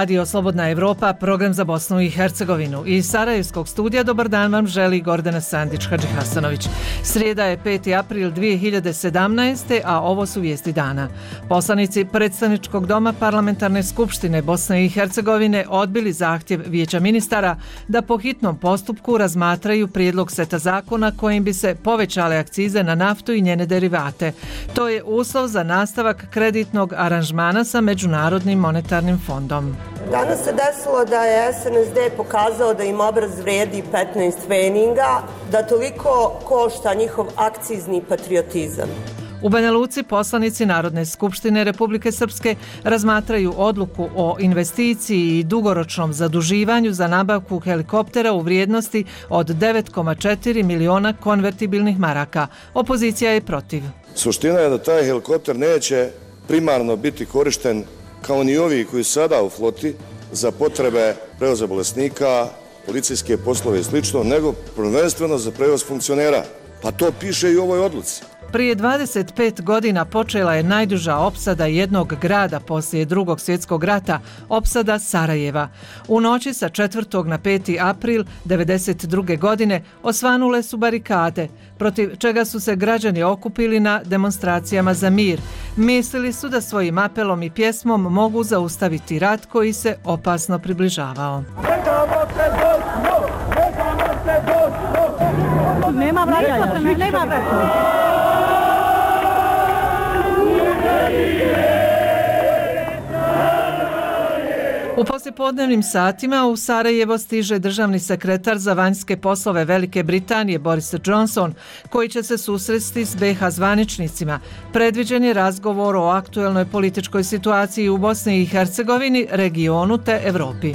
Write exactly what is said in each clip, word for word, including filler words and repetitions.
Radio Slobodna Evropa, program za Bosnu i Hercegovinu. Iz Sarajevskog studija dobar dan vam želi Gordana Sandić-Hadži Hasanović. Srijeda je peti april dvije hiljade sedamnaeste. a ovo su vijesti dana. Poslanici Predstavničkog doma Parlamentarne skupštine Bosne i Hercegovine odbili zahtjev Vijeća ministara da po hitnom postupku razmatraju prijedlog seta zakona kojim bi se povećale akcize na naftu i njene derivate. To je uslov za nastavak kreditnog aranžmana sa Međunarodnim monetarnim fondom. Danas se desilo da je S N S D pokazao da im obraz vrijedi petnaest feninga, da toliko košta njihov akcizni patriotizam. U Banja Luci poslanici Narodne skupštine Republike Srpske razmatraju odluku o investiciji i dugoročnom zaduživanju za nabavku helikoptera u vrijednosti od devet zarez četiri miliona konvertibilnih maraka. Opozicija je protiv. Suština je da taj helikopter neće primarno biti korišten kao ni ovi koji su sada u floti za potrebe prevoza bolesnika, policijske poslove i slično, nego prvenstveno za prevoz funkcionera. Pa to piše i u ovoj odluci. Prije dvadeset pet godina počela je najduža opsada jednog grada poslije Drugog svjetskog rata, opsada Sarajeva. U noći sa četvrtog na peti april devedeset druge. godine osvanule su barikade, protiv čega su se građani okupili na demonstracijama za mir. Mislili su da svojim apelom i pjesmom mogu zaustaviti rat koji se opasno približavao. Nema vraćanja, nema vraćanja. U poslijepodnevnim satima u Sarajevo stiže državni sekretar za vanjske poslove Velike Britanije Boris Johnson, koji će se susresti s B iH zvaničnicima. Predviđen je razgovor o aktuelnoj političkoj situaciji u Bosni i Hercegovini, regionu te Evropi.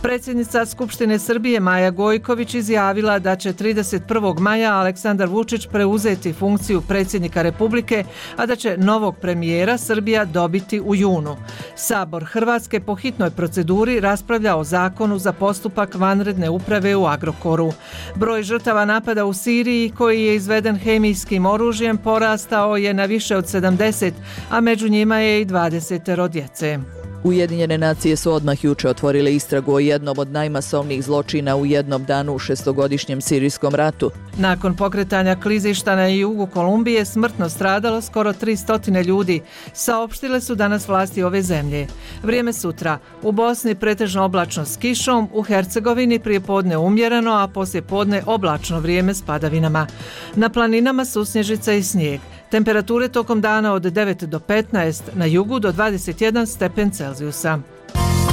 Predsjednica Skupštine Srbije Maja Gojković izjavila da će trideset prvog maja Aleksandar Vučić preuzeti funkciju predsjednika Republike, a da će novog premijera Srbija dobiti u junu. Sabor Hrvatske po hitnoj proceduri raspravlja o zakonu za postupak vanredne uprave u Agrokoru. Broj žrtava napada u Siriji koji je izveden hemijskim oružjem porastao je na više od sedamdeset, a među njima je i dvadesetero djece. Ujedinjene nacije su odmah juče otvorile istragu o jednom od najmasovnijih zločina u jednom danu u šestogodišnjem sirijskom ratu. Nakon pokretanja klizišta na jugu Kolumbije smrtno stradalo skoro tristo ljudi, saopštile su danas vlasti ove zemlje. Vrijeme sutra. U Bosni pretežno oblačno s kišom, u Hercegovini prijepodne umjereno, a poslijepodne oblačno vrijeme s padavinama. Na planinama susnježica i snijeg. Temperature tokom dana od devet do petnaest, na jugu do dvadeset jedan stepen Celzijusa.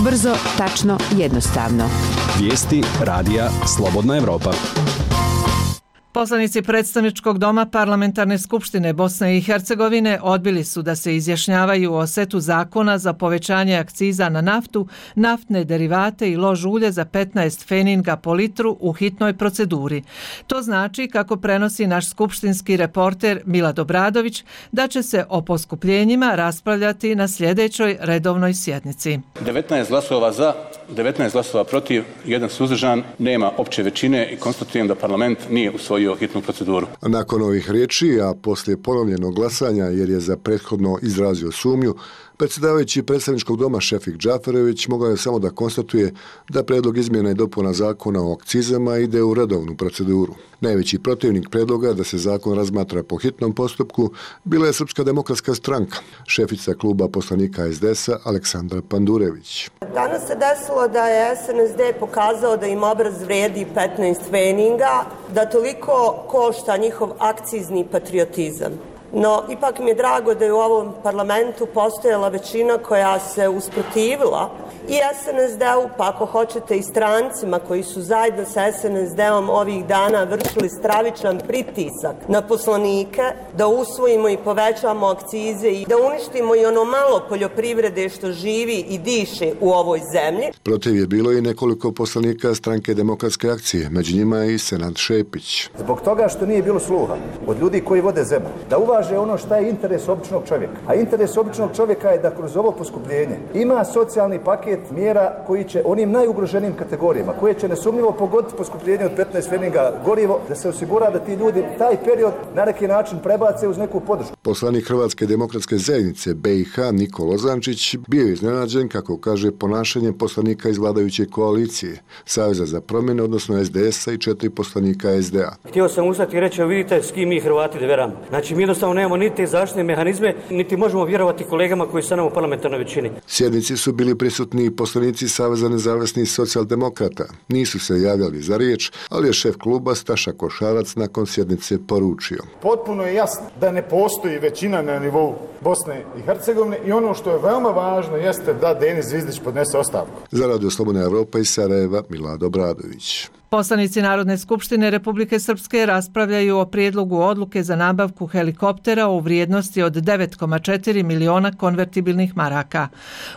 Brzo, tačno, jednostavno. Vijesti radija Slobodna Evropa. Poslanici Predstavničkog doma Parlamentarne skupštine Bosne i Hercegovine odbili su da se izjašnjavaju o setu zakona za povećanje akciza na naftu, naftne derivate i lož ulje za petnaest feninga po litru u hitnoj proceduri. To znači, kako prenosi naš skupštinski reporter Milad Obradović, da će se o poskupljenjima raspravljati na sljedećoj redovnoj sjednici. devetnaest glasova za, devetnaest glasova protiv, jedan suzdržan, nema opće većine i konstatujem da parlament nije usvojio hitnu proceduru. Nakon ovih riječi, a poslije ponovljenog glasanja jer je za prethodno izrazio sumnju, predsjedavajući Predstavničkog doma Šefik Džaferović mogao je samo da konstatuje da predlog izmjena i dopuna zakona o akcizama ide u redovnu proceduru. Najveći protivnik predloga da se zakon razmatra po hitnom postupku bila je Srpska demokratska stranka, šefica kluba poslanika S D S-a Aleksandra Pandurević. Danas se desilo da je S N S D pokazao da im obraz vrijedi petnaest feninga, da toliko košta njihov akcizni patriotizam. No, ipak mi je drago da je u ovom parlamentu postojala većina koja se usprotivila i S N S D-u, pa ako hoćete i strancima koji su zajedno sa S N S D-om ovih dana vršili stravičan pritisak na poslanike da usvojimo i povećamo akcize i da uništimo i ono malo poljoprivrede što živi i diše u ovoj zemlji. Protiv je bilo i nekoliko poslanika stranke Demokratske akcije, među njima i Senad Šepić. Zbog toga što nije bilo sluha od ljudi koji vode zemlju, da uvaže kaže ono šta je interes običnog čovjeka. A interes običnog čovjeka je da kroz ovo poskupljenje ima socijalni paket mjera koji će onim najugroženijim kategorijama, koje će nesumnjivo pogoditi poskupljenje od petnaest pfenninga gorivo, da se osigura da ti ljudi taj period na neki način prebace uz neku podršku. Poslanik Hrvatske demokratske zajednice B i H Nikola Lozančić bio je iznenađen, kako kaže, ponašanjem poslanika iz vladajuće koalicije, Saveza za promjene, odnosno S D S-a i četiri poslanika S D A. Htio sam ustati i reći, vidite s kim mi Hrvati veramo. Znači, mi jednostavno nemamo niti zaštitne mehanizme, niti možemo vjerovati kolegama koji su nam u parlamentarnoj većini. Sjednici su bili prisutni poslanici Saveza nezavisnih socijaldemokrata. Nisu se javljali za riječ, ali je šef kluba Staša Košarac nakon sjednice poručio. Potpuno je jasno da ne postoji većina na nivou Bosne i Hercegovine i ono što je veoma važno jeste da Denis Zvizdić podnese ostavku. Za Radio Slobodna Evropa iz Sarajeva, Milad Obradović. Poslanici Narodne skupštine Republike Srpske raspravljaju o prijedlogu odluke za nabavku helikoptera u vrijednosti od devet zarez četiri miliona konvertibilnih maraka.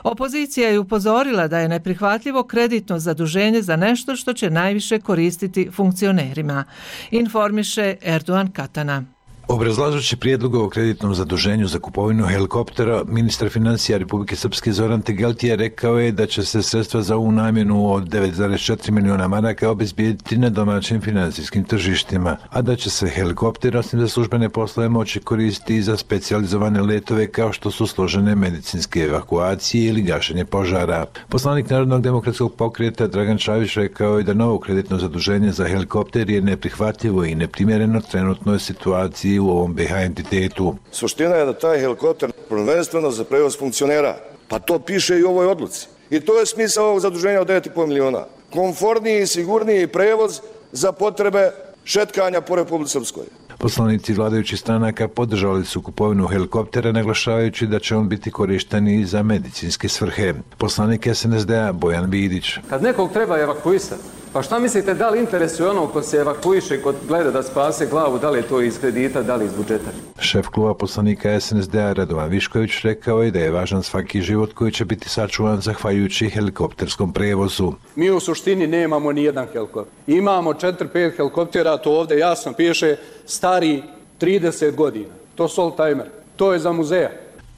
Opozicija je upozorila da je neprihvatljivo kreditno zaduženje za nešto što će najviše koristiti funkcionerima. Informiše Erdogan Katana. Obrazlažući prijedlog o kreditnom zaduženju za kupovinu helikoptera, ministar financija Republike Srpske Zoran Tegeltije rekao je da će se sredstva za ovu namjenu od devet zarez četiri miliona maraka obezbijediti na domaćim financijskim tržištima, a da će se helikopter, osim za službene poslove, moći koristiti i za specijalizovane letove kao što su složene medicinske evakuacije ili gašenje požara. Poslanik Narodnog demokratskog pokreta Dragan Čavić rekao je da novo kreditno zaduženje za helikopter je neprihvatljivo i neprimjereno trenutnoj situaciji u ovom B H entitetu. Suština je da taj helikopter prvenstveno za prevoz funkcionera, pa to piše i u ovoj odluci. I to je smisao ovog zaduženja od devet zarez pet miliona. Komforniji i sigurniji prevoz za potrebe šetkanja po Republici Srpskoj. Poslanici vladajućih stranaka podržali su kupovinu helikoptera, naglašavajući da će on biti korišten i za medicinske svrhe. Poslanik S N S D-a Bojan Vidić. Kad nekog treba evakuisati, pa šta mislite, da li interesuje ono ko se evakuiše, ko gleda da spase glavu, da li je to iz kredita, da li iz budžeta? Šef kluba poslanika S N S D-a Radovan Višković rekao je da je važan svaki život koji će biti sačuvan zahvaljujući helikopterskom prevozu. Mi u suštini nemamo ni jedan helikopter. Imamo četiri pet helikoptera, to ovdje jasno piše, stari trideset godina. To su oldtimer. To je za muzeja.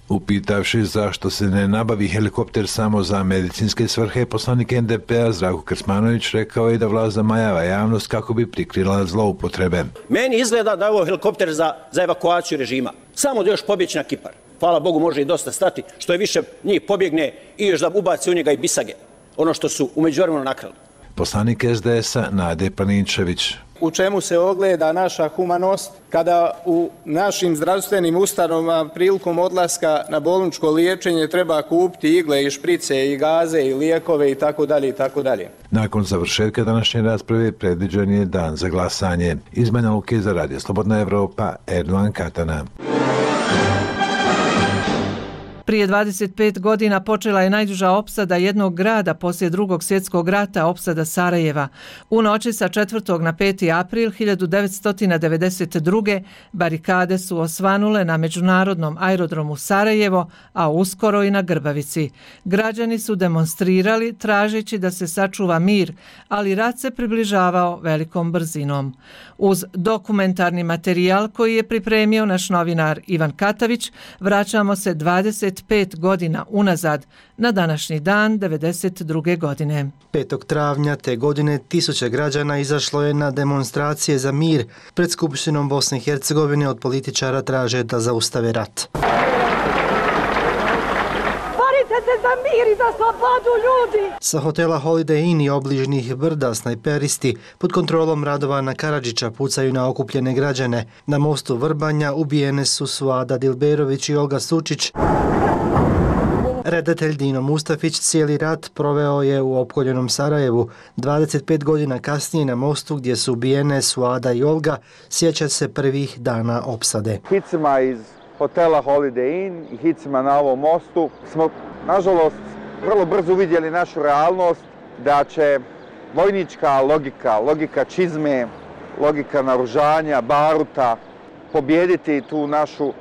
Upitavši zašto se ne nabavi helikopter samo za medicinske svrhe, poslanik N D P-a Zdravko Krsmanović rekao je da vlast zamajava javnost kako bi prikrila zloupotrebe. Meni izgleda da je ovo helikopter za, za evakuaciju režima. Samo da još pobjeći na Kipar. Hvala Bogu, može i dosta stati. Što je više njih pobjegne i još da ubaci u njega i bisage. Ono što su u međuvremenu nakrali. Poslanik S D S-a Nade Paninčević. U čemu se ogleda naša humanost kada u našim zdravstvenim ustanovama prilikom odlaska na bolničko liječenje treba kupiti igle i šprice i gaze i lijekove i tako dalje i tako dalje. Nakon završetka današnje rasprave predviđen je dan za glasanje. Iz Banja Luke za Radio Slobodna Evropa, Erdogan Katana. Prije dvadeset pet godina počela je najduža opsada jednog grada poslije Drugog svjetskog rata, opsada Sarajeva. U noći sa četvrtog na peti april hiljadu devetsto devedeset druge. barikade su osvanule na međunarodnom aerodromu Sarajevo, a uskoro i na Grbavici. Građani su demonstrirali tražeći da se sačuva mir, ali rat se približavao velikom brzinom. Uz dokumentarni materijal koji je pripremio naš novinar Ivan Katavić, vraćamo se dvadeset pet godina unazad, na današnji dan devedeset druge. godine. petog travnja te godine tisuće građana izašlo je na demonstracije za mir pred Skupštinom Bosne i Hercegovine. Od političara traže da zaustave rat. Borite se za mir i za slobodu ljudi! Sa hotela Holiday Inn i obližnih brda snajperisti pod kontrolom Radovana Karadžića pucaju na okupljene građane. Na mostu Vrbanja ubijene su Suada Dilberović i Olga Sučić. Redatelj Dino Mustafić cijeli rat proveo je u opkoljenom Sarajevu. dvadeset pet godina kasnije na mostu gdje su ubijene Suada i Olga sjeća se prvih dana opsade. Hicima iz hotela Holiday Inn i hicima na ovom mostu smo, nažalost, vrlo brzo uvidjeli našu realnost da će vojnička logika, logika čizme, logika naoružanja, baruta, pobijediti tu našu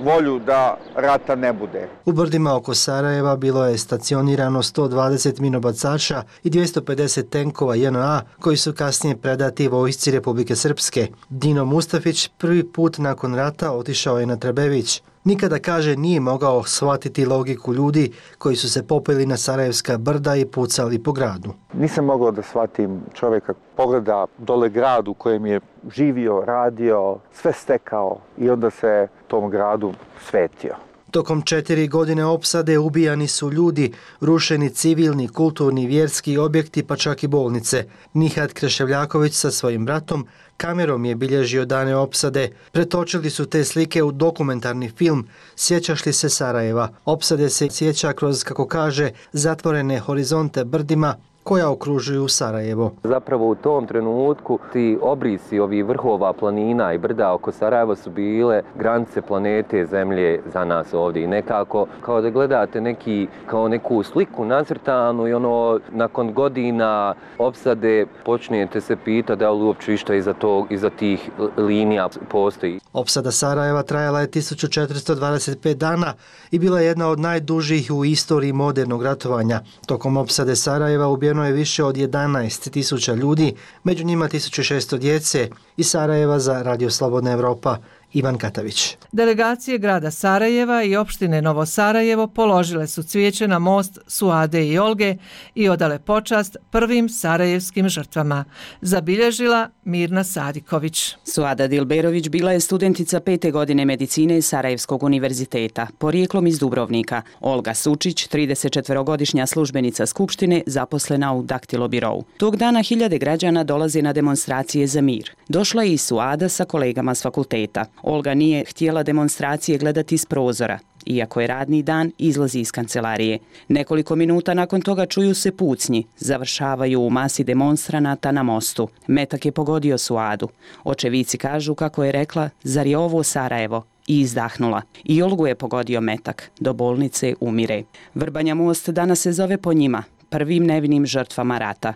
volju da rata ne bude. U brdima oko Sarajeva bilo je stacionirano sto dvadeset minobacača i dvjesto pedeset tenkova J N A koji su kasnije predati vojsci Republike Srpske. Dino Mustafić prvi put nakon rata otišao je na Trebević. Nikada, kaže, nije mogao shvatiti logiku ljudi koji su se popeli na Sarajevska brda i pucali po gradu. Nisam mogao da shvatim čovjeka pogleda dole grad u kojem je živio, radio, sve stekao i onda se tom gradu svetio. Tokom četiri godine opsade ubijani su ljudi, rušeni civilni, kulturni, vjerski objekti pa čak i bolnice. Nihat Kreševljaković sa svojim bratom kamerom je bilježio dane opsade. Pretočili su te slike u dokumentarni film Sjećaš li se Sarajeva? Opsade se sjeća kroz, kako kaže, zatvorene horizonte brdima koja okružuju Sarajevo. Zapravo u tom trenutku ti obrisi ovih vrhova planina i brda oko Sarajeva su bile granice planete Zemlje za nas ovdje. I nekako kao da gledate neki, kao neku sliku nacrtanu i ono nakon godina opsade počnete se pitati da li uopće išta iza, tog, iza tih linija postoji. Opsada Sarajeva trajala je tisuću četiristo dvadeset pet dana i bila je jedna od najdužih u istoriji modernog ratovanja. Tokom opsade Sarajeva ubijeno je više od jedanaest tisuća ljudi, među njima tisuću šesto djece. Iz Sarajeva za Radio Slobodna Evropa, Ivan Katavić. Delegacije grada Sarajeva i opštine Novo Sarajevo položile su cvijeće na most Suade i Olge i odale počast prvim sarajevskim žrtvama. Zabilježila Mirna Sadiković. Suada Dilberović bila je studentica pete godine medicine Sarajevskog univerziteta, porijeklom iz Dubrovnika. Olga Sučić, tridesetčetvorogodišnja službenica Skupštine, zaposlena u Daktilo birovu. Tog dana hiljade građana dolaze na demonstracije za mir. Došla je i Suada sa kolegama s fakulteta. Olga nije htjela demonstracije gledati iz prozora. Iako je radni dan, izlazi iz kancelarije. Nekoliko minuta nakon toga čuju se pucnji. Završavaju u masi demonstranata na mostu. Metak je pogodio Suadu. Očevici kažu kako je rekla, zar je ovo Sarajevo? I izdahnula. I Olgu je pogodio metak. Do bolnice umire. Vrbanja most danas se zove po njima, prvim nevinim žrtvama rata.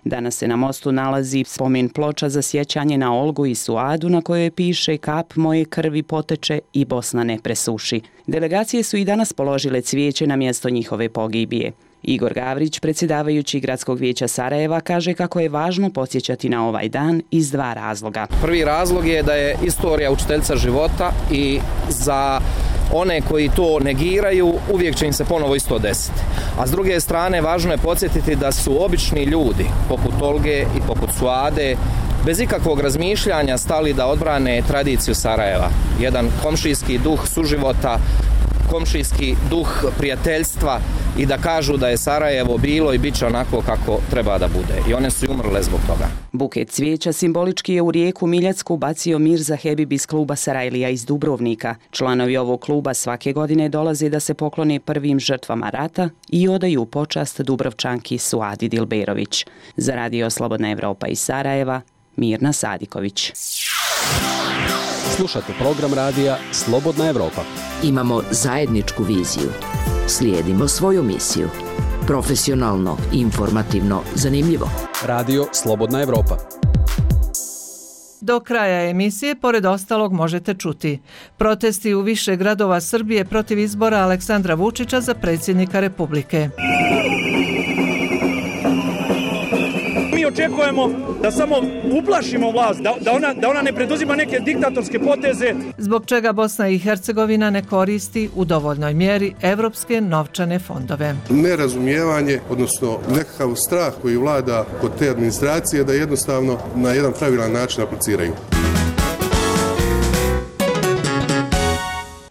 Danas se na mostu nalazi spomen ploča za sjećanje na Olgu i Suadu na kojoj piše kap moje krvi poteče i Bosna ne presuši. Delegacije su i danas položile cvijeće na mjesto njihove pogibije. Igor Gavrić, predsjedavajući Gradskog vijeća Sarajeva, kaže kako je važno podsjećati na ovaj dan iz dva razloga. Prvi razlog je da je istorija učiteljica života i za one koji to negiraju uvijek će im se ponovo isto desiti. A s druge strane važno je podsjetiti da su obični ljudi poput Olge i poput Suade bez ikakvog razmišljanja stali da odbrane tradiciju Sarajeva. Jedan komšijski duh suživota, komšijski duh prijateljstva i da kažu da je Sarajevo bilo i bit će onako kako treba da bude. I one su umrle zbog toga. Buket cvijeća simbolički je u rijeku Miljacku bacio Mirza Hebib iz kluba Sarajlija iz Dubrovnika. Članovi ovog kluba svake godine dolaze da se poklone prvim žrtvama rata i odaju počast Dubrovčanki Suadi Dilberović. Za Radio Slobodna Evropa iz Sarajeva, Mirna Sadiković. Slušate program radija Slobodna Evropa. Imamo zajedničku viziju. Slijedimo svoju misiju. Profesionalno, informativno, zanimljivo. Radio Slobodna Evropa. Do kraja emisije, pored ostalog, možete čuti protesti u više gradova Srbije protiv izbora Aleksandra Vučića za predsjednika Republike. Mi očekujemo da samo uplašimo vlast, da, da, ona, da ona ne preduzima neke diktatorske poteze. Zbog čega Bosna i Hercegovina ne koristi u dovoljnoj mjeri evropske novčane fondove. Nerazumijevanje, odnosno nekakav strah koji vlada kod te administracije da jednostavno na jedan pravilan način apliciraju.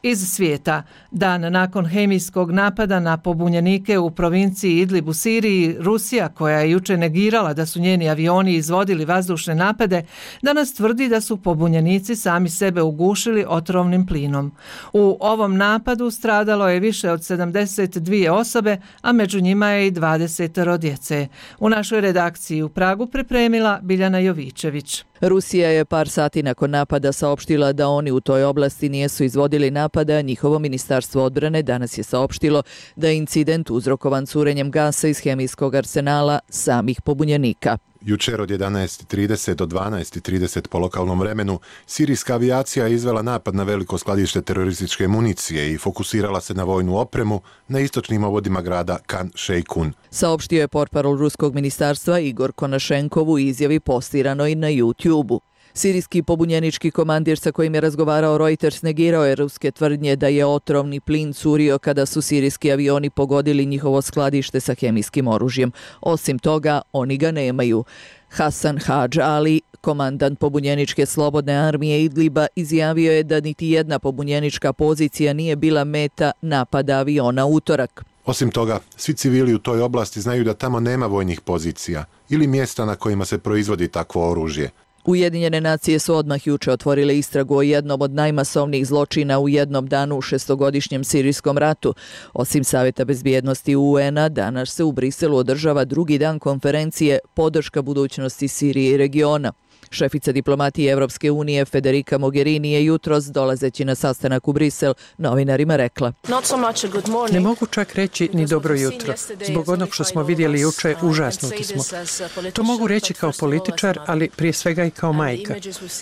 Iz svijeta. Dan nakon hemijskog napada na pobunjenike u provinciji Idlib u Siriji, Rusija, koja je juče negirala da su njeni avioni izvodili vazdušne napade, danas tvrdi da su pobunjenici sami sebe ugušili otrovnim plinom. U ovom napadu stradalo je više od sedamdeset dvije osobe, a među njima je i dvadeset djece. U našoj redakciji u Pragu pripremila Biljana Jovičević. Rusija je par sati nakon napada saopštila da oni u toj oblasti nijesu izvodili napad napada, njihovo ministarstvo odbrane danas je saopštilo da je incident uzrokovan curenjem gasa iz hemijskog arsenala samih pobunjenika. Jučer od jedanaest i trideset do dvanaest i trideset po lokalnom vremenu, sirijska avijacija je izvela napad na veliko skladište terorističke municije i fokusirala se na vojnu opremu na istočnim obodima grada Kan Šejkun. Saopštio je portparol ruskog ministarstva Igor Konašenkov u izjavi postiranoj na YouTube-u. Sirijski pobunjenički komandir sa kojim je razgovarao Reuters negirao je ruske tvrdnje da je otrovni plin curio kada su sirijski avioni pogodili njihovo skladište sa hemijskim oružjem. Osim toga, oni ga nemaju. Hasan Hadž Ali, komandant pobunjeničke slobodne armije Idliba, izjavio je da niti jedna pobunjenička pozicija nije bila meta napada aviona utorak. Osim toga, svi civili u toj oblasti znaju da tamo nema vojnih pozicija ili mjesta na kojima se proizvodi takvo oružje. Ujedinjene nacije su odmah juče otvorile istragu o jednom od najmasovnijih zločina u jednom danu u šestogodišnjem sirijskom ratu. Osim Savjeta bezbjednosti U N-a, danas se u Briselu održava drugi dan konferencije Podrška budućnosti Sirije i regiona. Šefica diplomatije Evropske unije Federica Mogherini je jutros, dolazeći na sastanak u Brisel, novinarima rekla: Ne mogu čak reći ni dobro jutro. Zbog onog što smo vidjeli juče, užasnuti smo. To mogu reći kao političar, ali prije svega i kao majka.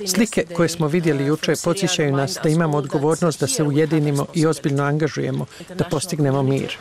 Slike koje smo vidjeli juče podsjećaju nas da imamo odgovornost da se ujedinimo i ozbiljno angažujemo, da postignemo mir.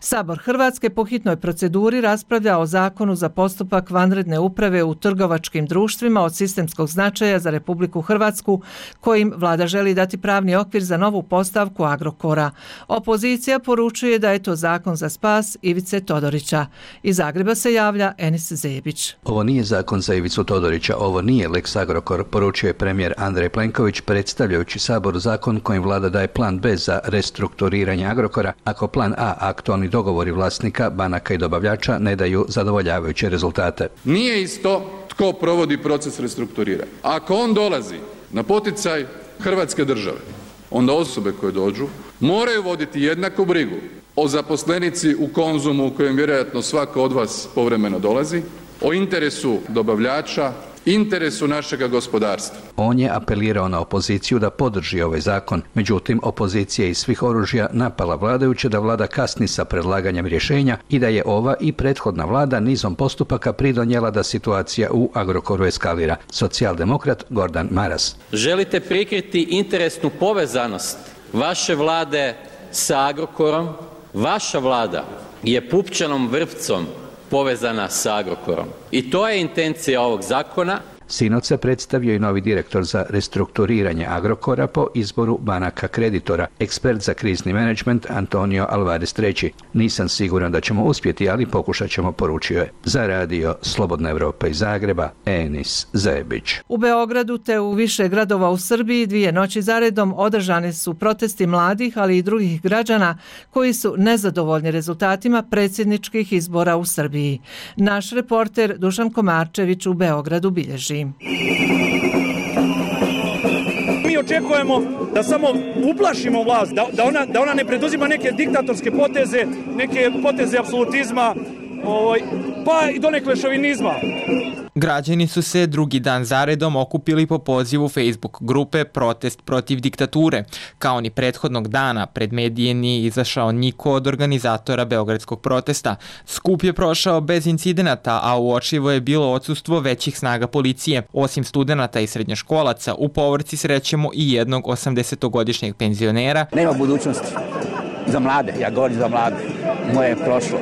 Sabor Hrvatske po hitnoj proceduri raspravlja o zakonu za postupak vanredne uprave u trgovačkim društvima od sistemskog značaja za Republiku Hrvatsku, kojim vlada želi dati pravni okvir za novu postavku Agrokora. Opozicija poručuje da je to zakon za spas Ivice Todorića. Iz Zagreba se javlja Enis Zebić. Ovo nije zakon za Ivicu Todorića, ovo nije Lex Agrokor, poručio je premijer Andrej Plenković predstavljajući Saboru zakon kojim vlada daje plan B za restrukturiranje Agrokora, ako plan A, aktualni dogovori vlasnika, banaka i dobavljača, ne daju zadovoljavajuće rezultate. Nije isto tko provodi proces restrukturiranja. Ako on dolazi na poticaj Hrvatske države, onda osobe koje dođu moraju voditi jednaku brigu o zaposlenici u Konzumu u kojem vjerojatno svako od vas povremeno dolazi, o interesu dobavljača, interesu našega gospodarstva. On je apelirao na opoziciju da podrži ovaj zakon, međutim opozicija iz svih oružja napala vladajuće da vlada kasni sa predlaganjem rješenja i da je ova i prethodna vlada nizom postupaka pridonijela da situacija u Agrokoru eskalira. Socijaldemokrat Gordan Maras. Želite prikriti interesnu povezanost vaše vlade sa Agrokorom. Vaša vlada je pupčanom vrpcom povezana sa Agrokorom. I to je intencija ovog zakona. Sinoć se predstavio i novi direktor za restrukturiranje Agrokora po izboru banaka kreditora, ekspert za krizni menadžment Antonio Alvarez treći. Nisam siguran da ćemo uspjeti, ali pokušat ćemo, poručio je. Za radio Slobodna Evropa iz Zagreba, Enis Zebić. U Beogradu te u više gradova u Srbiji dvije noći zaredom održani su protesti mladih, ali i drugih građana koji su nezadovoljni rezultatima predsjedničkih izbora u Srbiji. Naš reporter Dušan Komarčević u Beogradu bilježi. Mi očekujemo da samo uplašimo vlast, da, da, ona, da ona ne preduzima neke diktatorske poteze, neke poteze apsolutizma, ovaj, pa i donekle šovinizma. Građani su se drugi dan zaredom okupili po pozivu Facebook grupe Protest protiv diktature. Kao ni prethodnog dana, pred medije nije izašao niko od organizatora beogradskog protesta. Skup je prošao bez incidenata, a uočljivo je bilo odsustvo većih snaga policije. Osim studenata i srednjoškolaca, u povorci srećemo i jednog osamdesetogodišnjeg penzionera. Nema budućnosti za mlade, ja govorim za mlade. Moje je prošlo.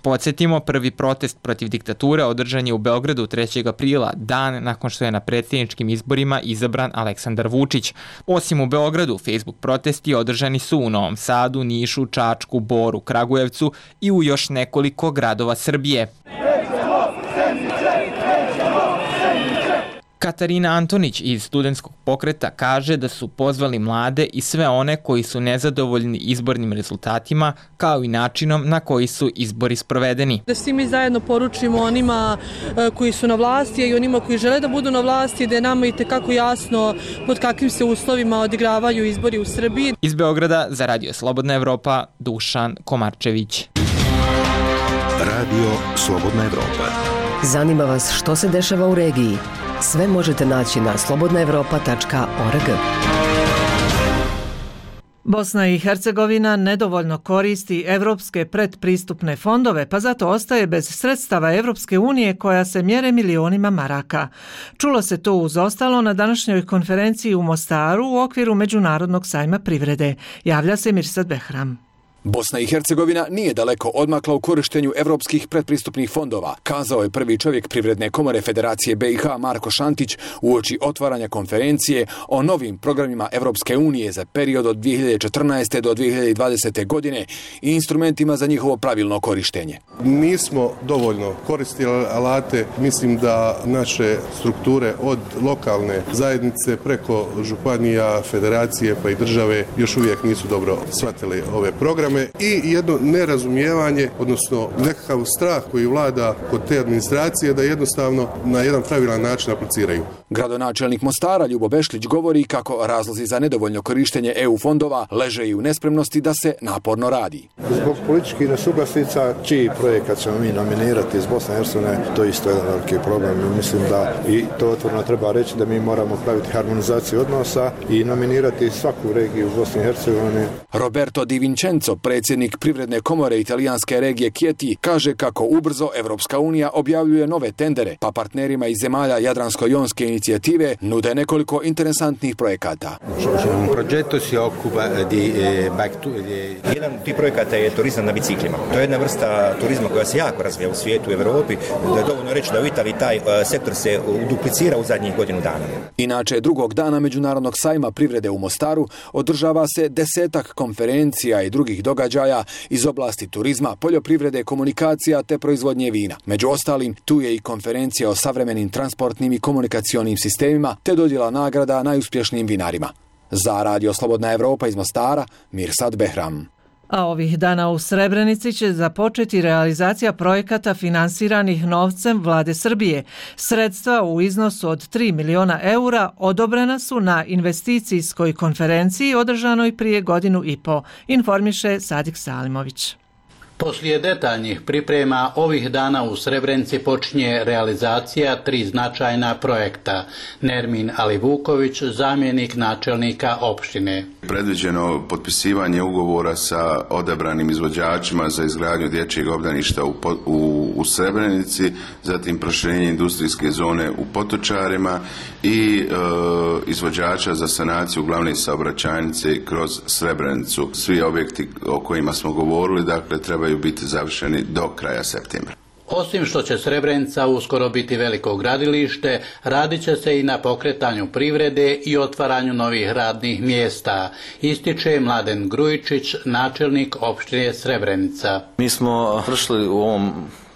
Podsjetimo, prvi protest protiv diktature održan je u Beogradu trećeg aprila, dan nakon što je na predsjedničkim izborima izabran Aleksandar Vučić. Osim u Beogradu, Facebook protesti održani su u Novom Sadu, Nišu, Čačku, Boru, Kragujevcu i u još nekoliko gradova Srbije. Katarina Antonić iz Studentskog pokreta kaže da su pozvali mlade i sve one koji su nezadovoljni izbornim rezultatima, kao i načinom na koji su izbori sprovedeni. Da svi mi zajedno poručimo onima koji su na vlasti i onima koji žele da budu na vlasti, da je nama i tekako jasno pod kakvim se uslovima odigravaju izbori u Srbiji. Iz Beograda za Radio Slobodna Evropa, Dušan Komarčević. Radio Slobodna Evropa. Zanima vas što se dešava u regiji? Sve možete naći na slobodna evropa tačka org. Bosna i Hercegovina nedovoljno koristi evropske predpristupne fondove, pa zato ostaje bez sredstava Evropske unije koja se mjere milionima maraka. Čulo se to uz ostalo na današnjoj konferenciji u Mostaru u okviru Međunarodnog sajma privrede. Javlja se Mirsad Behram. Bosna i Hercegovina nije daleko odmakla u korištenju evropskih predpristupnih fondova, kazao je prvi čovjek Privredne komore Federacije B i H Marko Šantić uoči otvaranja konferencije o novim programima Evropske unije za period od dvije hiljade četrnaeste do dvije hiljade dvadesete. godine i instrumentima za njihovo pravilno korištenje. Nismo dovoljno koristili alate, mislim da naše strukture od lokalne zajednice preko županija, federacije pa i države još uvijek nisu dobro shvatili ove programe. I jedno nerazumijevanje, odnosno nekakav strah koji vlada kod te administracije da jednostavno na jedan pravilan način apliciraju. Gradonačelnik Mostara Ljubo Bešlić govori kako razlozi za nedovoljno korištenje E U fondova leže i u nespremnosti da se naporno radi. Zbog političkih nesuglasica, čiji projekat ćemo mi nominirati iz Bosne i Hercegovine, to je isto jedan veliki problem. Mislim da i to otvoreno treba reći da mi moramo praviti harmonizaciju odnosa i nominirati svaku regiju u Bosni i Hercegovini. Roberto Di Vincenzo, predsjednik Privredne komore italijanske regije Chieti, kaže kako ubrzo Evropska unija objavljuje nove tendere, pa partnerima iz zemalja Jadransko-jonske inicijative nude nekoliko interesantnih projekata. Jedan od tih projekata je turizam na biciklima. To je jedna vrsta turizma koja se jako razvija u svijetu, u Europi. Da je dovoljno reći da u Italiji taj sektor se duplicira u zadnjih godinu dana. Inače, drugog dana Međunarodnog sajma privrede u Mostaru održava se desetak konferencija i drugih događaja iz oblasti turizma, poljoprivrede, komunikacija te proizvodnje vina. Među ostalim, tu je i konferencija o savremenim transportnim i komunikacionim sistemima te dodjela nagrada najuspješnijim vinarima. Za Radio Slobodna Evropa iz Mostara, Mirsad Behram. A ovih dana u Srebrenici će započeti realizacija projekata finansiranih novcem Vlade Srbije. Sredstva u iznosu od tri miliona eura odobrena su na investicijskoj konferenciji održanoj prije godinu i po, informiše Sadik Salimović. Poslije detaljnih priprema ovih dana u Srebrenici počinje realizacija tri značajna projekta. Nermin Alivuković, zamjenik načelnika opštine. Predviđeno potpisivanje ugovora sa odabranim izvođačima za izgradnju dječjeg obdaništa u, u, u Srebrenici, zatim proširenje industrijske zone u Potočarima i e, izvođača za sanaciju glavne saobraćajnice kroz Srebrenicu. Svi objekti o kojima smo govorili, dakle, trebaju biti završeni do kraja septembra. Osim što će Srebrenica uskoro biti veliko gradilište, radit će se i na pokretanju privrede i otvaranju novih radnih mjesta, ističe Mladen Grujičić, načelnik opštine Srebrenica. Mi smo prošli u ovom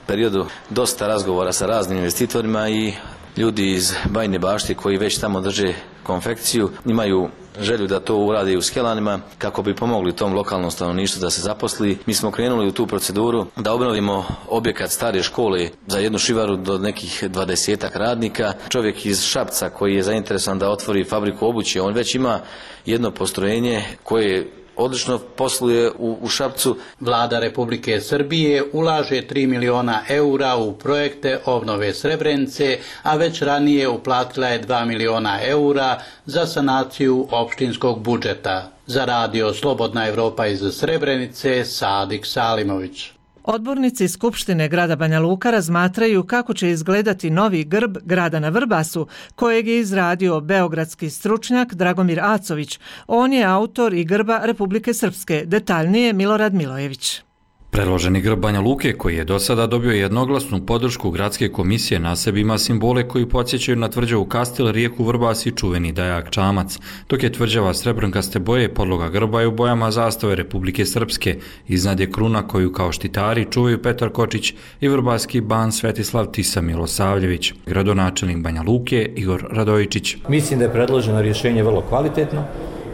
periodu dosta razgovora sa raznim investitorima i ljudi iz Bajine Bašte koji već tamo drže konfekciju imaju želju da to uradi u Skelanima kako bi pomogli tom lokalnom stanovništvu da se zaposli. Mi smo krenuli u tu proceduru da obnovimo objekat stare škole za jednu šivaru do nekih dvadesetak radnika. Čovjek iz Šapca koji je zainteresovan da otvori fabriku obuće, on već ima jedno postrojenje koje odlično posluje u, u Šapcu. Vlada Republike Srbije ulaže tri miliona eura u projekte obnove Srebrenice, a već ranije uplatila je dva miliona eura za sanaciju opštinskog budžeta. Za Radio Slobodna Evropa iz Srebrenice, Sadik Salimović. Odbornici Skupštine grada Banja Luka razmatraju kako će izgledati novi grb grada na Vrbasu, kojeg je izradio beogradski stručnjak Dragomir Acović. On je autor i grba Republike Srpske, detaljnije Milorad Milojević. Predloženi grb Banja Luke, koji je do sada dobio jednoglasnu podršku gradske komisije, na sebi ima simbole koji podsjećaju na tvrđavu Kastel, rijeku Vrbas i čuveni dajak Čamac, dok je tvrđava srebrnkaste boje podloga grba je u bojama zastave Republike Srpske. Iznad je kruna koju kao štitari čuvaju Petar Kočić i vrbaski ban Svetislav Tisa Milosavljević. Gradonačelnik Banja Luke Igor Radojičić. Mislim da je predloženo rješenje vrlo kvalitetno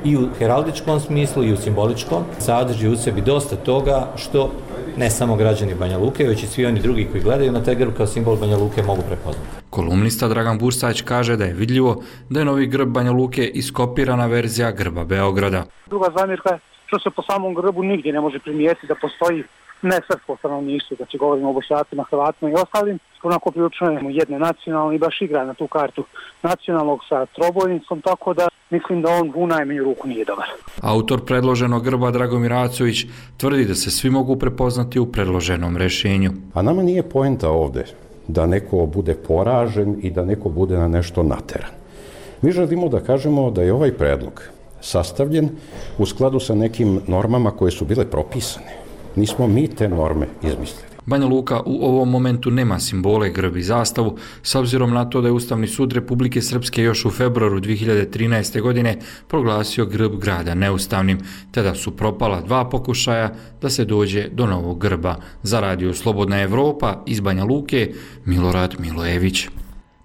i u heraldičkom smislu i u simboličkom. Sadrži u sebi dosta toga što ne samo građani Banja Luke, već i svi oni drugi koji gledaju na taj grb kao simbol Banja Luke mogu prepoznati. Kolumnista Dragan Bursać kaže da je vidljivo da je novi grb Banja Luke iskopirana verzija grba Beograda. Druga zamjerka je što se po samom grbu nigdje ne može primijetiti da postoji nesrpsko stanovništvo, znači govorimo o Bošnjacima, Hrvatima i ostalim, onako prilično jedne nacionalne i baš igra na tu kartu nacionalnog sa trobojnicom, tako da mislim da on u najmanju ruku nije dobar. Autor predloženog grba Dragomir Acović tvrdi da se svi mogu prepoznati u predloženom rešenju. A nama nije poenta ovde da neko bude poražen i da neko bude na nešto nateran. Mi želimo da kažemo da je ovaj predlog sastavljen u skladu sa nekim normama koje su bile propisane. Nismo mi te norme izmislili. Banja Luka u ovom momentu nema simbole, grb i zastavu, s obzirom na to da je Ustavni sud Republike Srpske još u februaru dvije hiljade trinaeste. godine proglasio grb grada neustavnim, te da su propala dva pokušaja da se dođe do novog grba. Za Radio Slobodna Evropa iz Banja Luke, Milorad Milojević.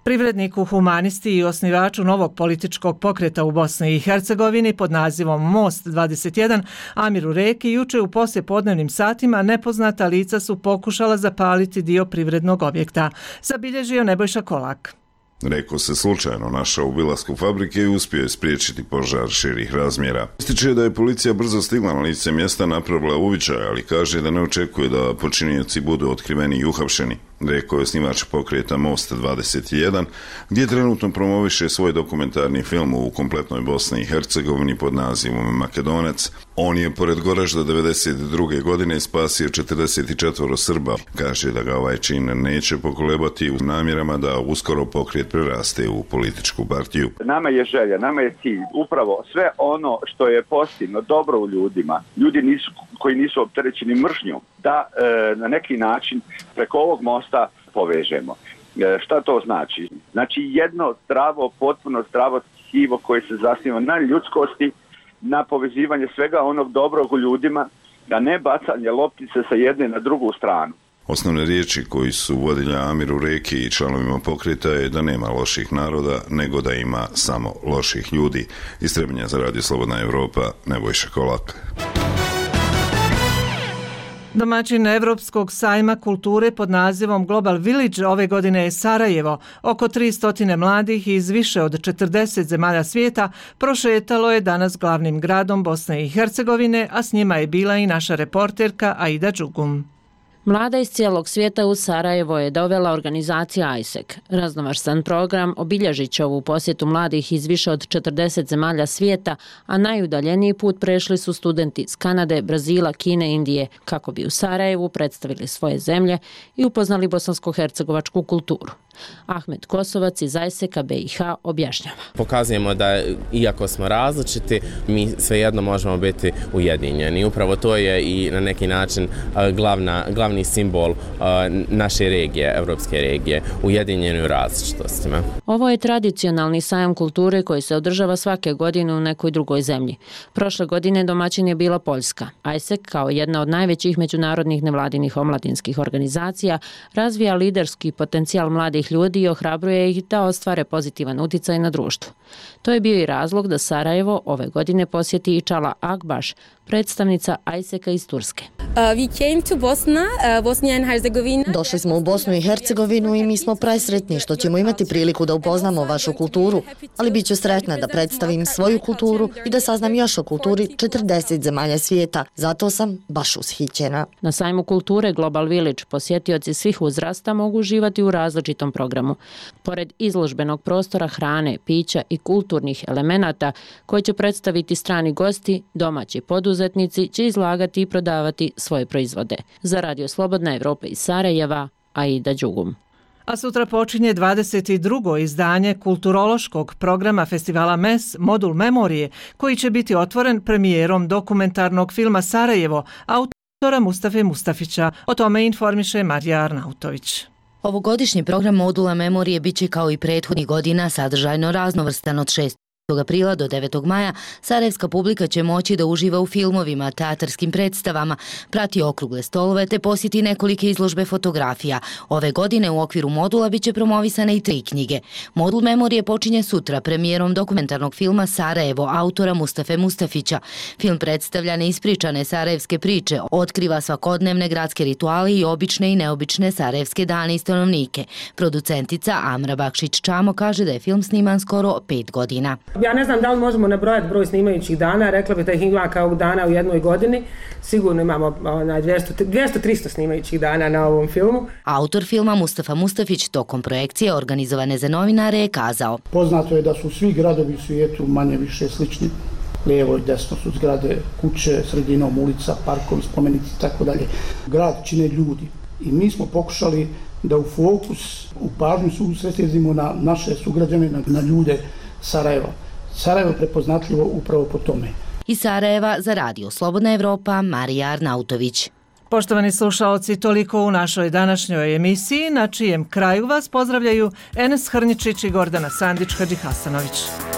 Privredniku, humanisti i osnivaču novog političkog pokreta u Bosni i Hercegovini pod nazivom Most dvadeset jedan, Amiru Reki, juče u poslijepodnevnim satima nepoznata lica su pokušala zapaliti dio privrednog objekta. Zabilježio Nebojša Kolak. Reko se slučajno našao u obilasku fabrike i uspio je spriječiti požar širih razmjera. Ističe da je policija brzo stigla na lice mjesta, napravila uviđaj, ali kaže da ne očekuje da počinioci budu otkriveni i uhapšeni. Rekao je osnivač pokreta Most dvadeset jedan, gdje trenutno promoviše svoj dokumentarni film u kompletnoj Bosni i Hercegovini pod nazivom Makedonac. On je pored Goražda devedeset druge. godine spasio četrdeset četiri Srba. Kaže da ga ovaj čin neće pokolebati u namjerama da uskoro pokret preraste u političku partiju. Nama je želja, nama je cilj upravo sve ono što je pozitivno, dobro u ljudima, ljudi nisu, koji nisu opterećeni mržnjom, da e, na neki način preko ovog mosta povežemo. E, šta to znači? Znači jedno zdravo, potpuno zdravo tkivo koje se zasniva na ljudskosti, na povezivanje svega onog dobrog u ljudima, da ne bacanje loptice sa jedne na drugu stranu. Osnovne riječi koji su vodilja Amiru Reki i članovima pokreta je da nema loših naroda, nego da ima samo loših ljudi. Iz Trebinja za Radio Slobodna Evropa, Nebojša Kolak. Domaćin Evropskog sajma kulture pod nazivom Global Village ove godine je Sarajevo. Oko tristo mladih iz više od četrdeset zemalja svijeta prošetalo je danas glavnim gradom Bosne i Hercegovine, a s njima je bila i naša reporterka Aida Đugum. Mlada iz cijelog svijeta u Sarajevo je dovela organizacija I S E C. Raznovrstan program obilježit će ovu posjetu mladih iz više od četrdeset zemalja svijeta, a najudaljeniji put prešli su studenti iz Kanade, Brazila, Kine, Indije, kako bi u Sarajevu predstavili svoje zemlje i upoznali bosansko-hercegovačku kulturu. Ahmed Kosovac iz I S E C-a B i H objašnjava. Pokazujemo da iako smo različiti, mi svejedno možemo biti ujedinjeni. Upravo to je i na neki način glavna, glavni simbol naše regije, evropske regije, ujedinjeni u različitostima. Ovo je tradicionalni sajam kulture koji se održava svake godine u nekoj drugoj zemlji. Prošle godine domaćin je bila Poljska. I S E C kao jedna od najvećih međunarodnih nevladinih omladinskih organizacija razvija liderski potencijal mladih ljudi i ohrabruje ih da ostvare pozitivan utjecaj na društvo. To je bio i razlog da Sarajevo ove godine posjeti i Čala Akbaš, predstavnica I S E C-a iz Turske. Došli smo u Bosnu i Hercegovinu i mi smo presretni što ćemo imati priliku da upoznamo vašu kulturu, ali bit ću sretna da predstavim svoju kulturu i da saznam još o kulturi četrdeset zemalja svijeta. Zato sam baš ushićena. Na sajmu kulture Global Village posjetioci svih uzrasta mogu uživati u različitom programu. Pored izložbenog prostora hrane, pića i kulturnih elemenata koje će predstaviti strani gosti, domaći poduzetnici će izlagati i prodavati svoje proizvode. Za Radio Slobodna Evropa iz Sarajeva, Aida Đugum. A sutra počinje dvadeset drugo izdanje kulturološkog programa festivala M E S Modul memorije, koji će biti otvoren premijerom dokumentarnog filma Sarajevo, autora Mustafe Mustafića. O tome informiše Marija Arnautović. Ovogodišnji program Modula memorije bit će kao i prethodnih godina sadržajno raznovrstan. Od šestog aprila do devetog maja sarajevska publika će moći da uživa u filmovima, teatarskim predstavama, prati okrugle stolove te posjeti nekolike izložbe fotografija. Ove godine u okviru modula biće promovisane i tri knjige. Modul memorije počinje sutra premijerom dokumentarnog filma Sarajevo autora Mustafe Mustafića. Film predstavlja neispričane sarajevske priče, otkriva svakodnevne gradske rituale i obične i neobične sarajevske dane i stanovnike. Producentica Amra Bakšić Čamo kaže da je film sniman skoro pet godina. Ja ne znam da li možemo nabrojati broj snimajućih dana, rekla bih da ih ima kao dana u jednoj godini. Sigurno imamo dvjesto do tristo snimajućih dana na ovom filmu. Autor filma Mustafa Mustafić tokom projekcije organizovane za novinare je kazao: Poznato je da su svi gradovi u svijetu manje više slični. Lijevo i desno su zgrade, kuće, sredinom ulica, parkovi, spomenici i tako dalje. Grad čine ljudi i mi smo pokušali da u fokus, u pažnju su usredsredimo na naše sugrađane, na, na ljude Sarajeva. Sarajevo je prepoznatljivo upravo po tome. Iz Sarajeva za Radio Slobodna Evropa, Marija Arnautović. Poštovani slušaoci, toliko u našoj današnjoj emisiji, na čijem kraju vas pozdravljaju Enes Hrničić i Gordana Sandić-Hadžihasanović.